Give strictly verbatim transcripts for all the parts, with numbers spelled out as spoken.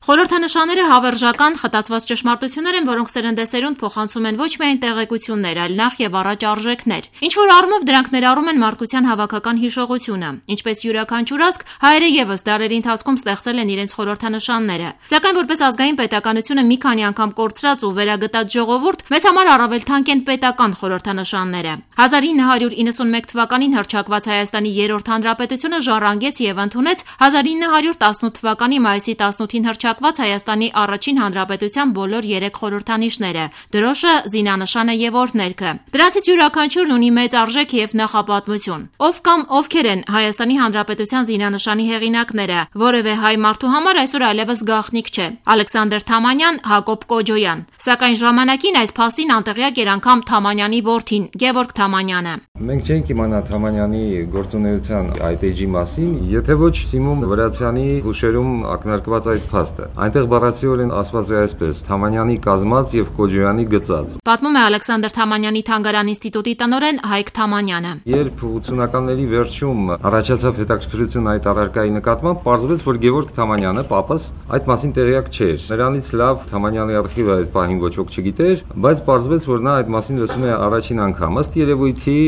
Խորհրդանշանները հավերժական, խտացված ճշմարտություններ են, որոնք սերնդեսերունդ փոխանցում են ոչ միայն տեղեկություններ, այլ նախ եւ առաջ արժեքներ։ Ինչ-որ առումով դրանք ներառում են մարդկության հավաքական հիշողությունը։ Ինչպես յուրաքանչյուր ազգ, հայերը եւս դարերի ընթացքում ստեղծել են իրենց խորհրդանշանները։ Սակայն որպես ազգային պետականությունը մի քանի անգամ կորցրած ու վերագտած ժողովուրդ, մեզ համար առավել թանկ են պետական խորհրդանշանները։ հազար ինը հարյուր իննսունմեկ թվականին հռչակված Հայաստանի երրորդ հանրապետությունը ժառանգեց եւ ընդունեց հազար ինը հարյուր տասնութ թվականի մայիսի տասնութին հռչակված Հայաստանի առաջին հանրապետության բոլոր երեք խորհրդանիշները՝ դրոշը, զինանշանը եւ օրհներգը։ Դրանցից յուրաքանչյուրն ունի մեծ արժեք եւ նախապատմություն։ Ով կամ ովքեր են Հայաստանի հանրապետության զինանշանի հեղինակները, որևէ հայ մարդու համար այսօր այլևս գաղտնիք չէ։ Ալեքսանդր Թամանյան, Հակոբ Կոջոյան։ Սակայն ժամանակին այս փաստին անտեղյակ էր անգամ Թամանյանի որդին՝ Գևորգ Թամանյանը։ Մենք չենք իմանա Թամանյանի գործունեության այդ էջի մասին, եթե ոչ Սիմոն Վրացյանի հուշերում ակնարկված այդ փաստը։ Այնտեղ բառացիորեն ասված է այսպես. Թամանյանի կազմած եւ Կոջոյանի գծած։ Պատմում է Ալեքսանդր Թամանյանի թանգարան ինստիտուտի տնօրեն Հայկ Թամանյանը։ Երբ ութսունականների վերջում առաջացավ հետաքրքրություն այդ առարկայի նկատմամբ, պարզվեց, որ Գևորգ Թամանյանը, պապս, այդ մասին տեղյակ չէր։ Նրանից լավ Թամանյանի արխիվը այդ պահին ոչ ոք չգիտեր, բայց պարզվեց, որ նա այդ մասին լսում է առաջին անգամ։ Ըստ երևույթի,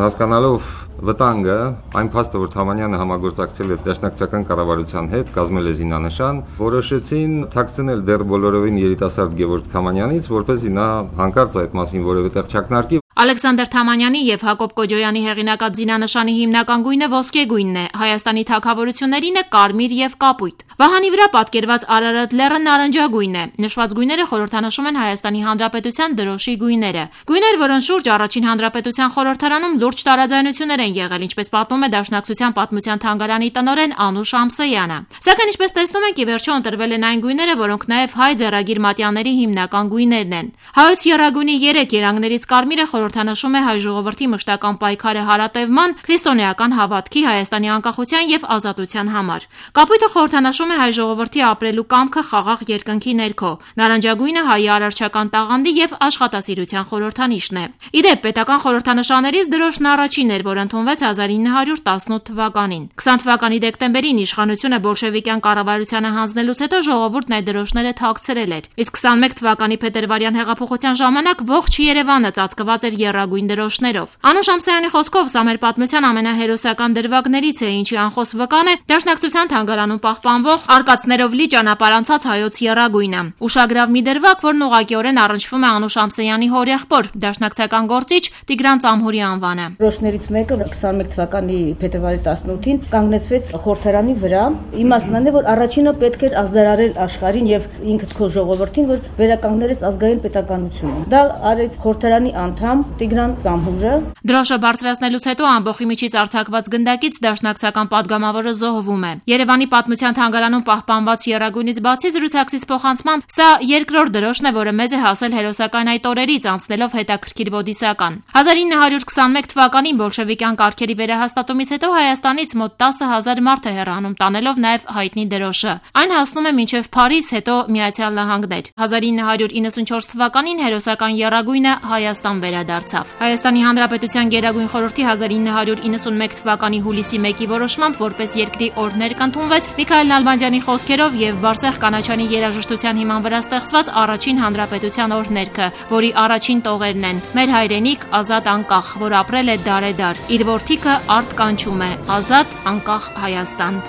հասկանալով վտանգը, այն փաստը, որ Թամանյանը համագործակցել է դաշնակցական կառավարության հետ, կազմել է զինանշան, որոշեցին թաքցնել դեռ բոլորովին երիտասարդ Գևորգ Թամանյանից, որպեսզի նա հանկարծ այդ մասին որևէ տեղ չակնարկի։ Ալեքսանդր Թամանյանի եւ Հակոբ Կոջոյանի հեղինակած զինանշանի հիմնական գույնը ոսկե գույնն է, Հայաստանի թագավորություններին է կարմիր եւ կապույտ։ Վահանի վրա պատկերված Արարատ լեռը նարնջագույն է։ Նշված գույները խորհրդանշում են Հայաստանի Հանրապետության դրոշի գույները։ Գույներ, որոնց շուրջ առաջին հանրապետության խորհրդարանում լուրջ տարաձայնություններ են եղել, ինչպես պատմում է Դաշնակցության պատմության թանգարանի տնօրեն Անուշ Ամսեյանը։ Սակայն ինչպես տեսնում ենք, ի վերջո ընտրվել են այն գույները, որոնք նաեւ հայ ձեռագիր մատյանների հիմնական գույներն են։ Հայոց եռագույնի երեք երանգներից կարմիրը խորհրդանշում է հայ ժողովրդի մշտական պայքարը հարատևման, քրիստոնեական հավատքի, Հայաստանի անկախության եւ ազատության համար։ Կապույտը խորհրդանշում է հայ ժողովրդի ապրելու կամքը խաղաղ երկնքի ներքո։ Նարնջագույնը հայի արարչական տաղանդի եւ աշխատասիրության խորհրդանիշն է։ Իդեպ, պետական խորհրդանշաններից դրոշն առաջին էր, որ ընդունվեց հազար ինը հարյուր տասնութ թվականին։ քսան թվականի դեկտեմբերին իշխանությունը բոլշևիկյան կառավարությանը հանձնելուց հետո ժողովուրդն այդ դրոշները թաքցրել էր։ Իսկ քսանմեկ թվականի փետրվարյան հեղափոխության ժամանակ ողջ Երևանը ծածկված էր եռագույն դրոշներով։ Անուշ Ամսեյանի խոսքով, սա մեր պատմության ամենահերոսական դրվագներից է, ինչի անխոս վկան է Դաշնակցության թանգարանում պահպանվող արկածներով լի ճանապարհ անցած հայոց եռագույնը։ Ուշագրավ մի դրվագ, որն ուղղակիորեն առնչվում է Անուշ Ամսեյանի հորեղբոր, դաշնակցական գործիչ Տիգրան Ծամհուրի անվանը։ Դրոշներից մեկը քսանմեկ թվականի փետրվարի տասնութին կանգնեցվեց խորհրդարանի վրա։ Իմաստն այն է, որ առաջինը պետք էր ազդարարել աշխարհին եւ ինքդ քո ժողովրդին, որ վերականգնես ազգային պետականությունը։ Դա արեց խորհրդարանի անդամ Տիգրան Ծամհուրը։ Դրոշը բարձրացնելուց հետո ամբողջի միջից արձակված գնդակից դաշնակցական падգամավորը զոհվում է։ Երևանի պատմության թանգարանում պահպանված եռագույնից բացի զրուցակցից փոխանցմամբ, սա երկրորդ դրոշն է, որը մեզ է հասել հերոսական այդ օրերից, անցնելով հետաքրքիր ոդիսական։ հազար ինը հարյուր քսանմեկ թվականին բոլշևիկյան կարգերի վերահաստատումից հետո Հայաստանից մոտ տասը հազար մարդ է հեռանում, տանելով նաև հայտնի դրոշը։ Այն հասնում է մինչև Փարիզ, հետո Միացյալ Նահանգներ։ հազար ինը հարյուր իննսունչորս թվականին հերոսական եռագույնը Հայաստան վերադարձավ։ Հայաստանի Հանրապետության Գերագույն խորհրդի հազար ինը հարյուր իննսունմեկ թվականի հուլիսի մեկի որոշմամբ որպես երկրի օրհներգ ընդունվեց Միքայել Նալբանդյանի խոսքերով եւ Բարսեղ Կանաչյանի երաժշտության հիման վրա ստեղծված առաջին հանրապետության օրհներգը, որի առաջին տողերն են՝ Մեր հայրենիք, ազատ անկախ, որ ապրել է դարեդար, իր որդիքը արդ կանչում է, ազատ անկախ Հայաստան։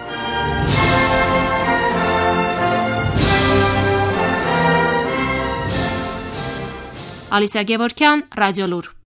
Ալիսա Գևորգյան, Ռադիոլուր։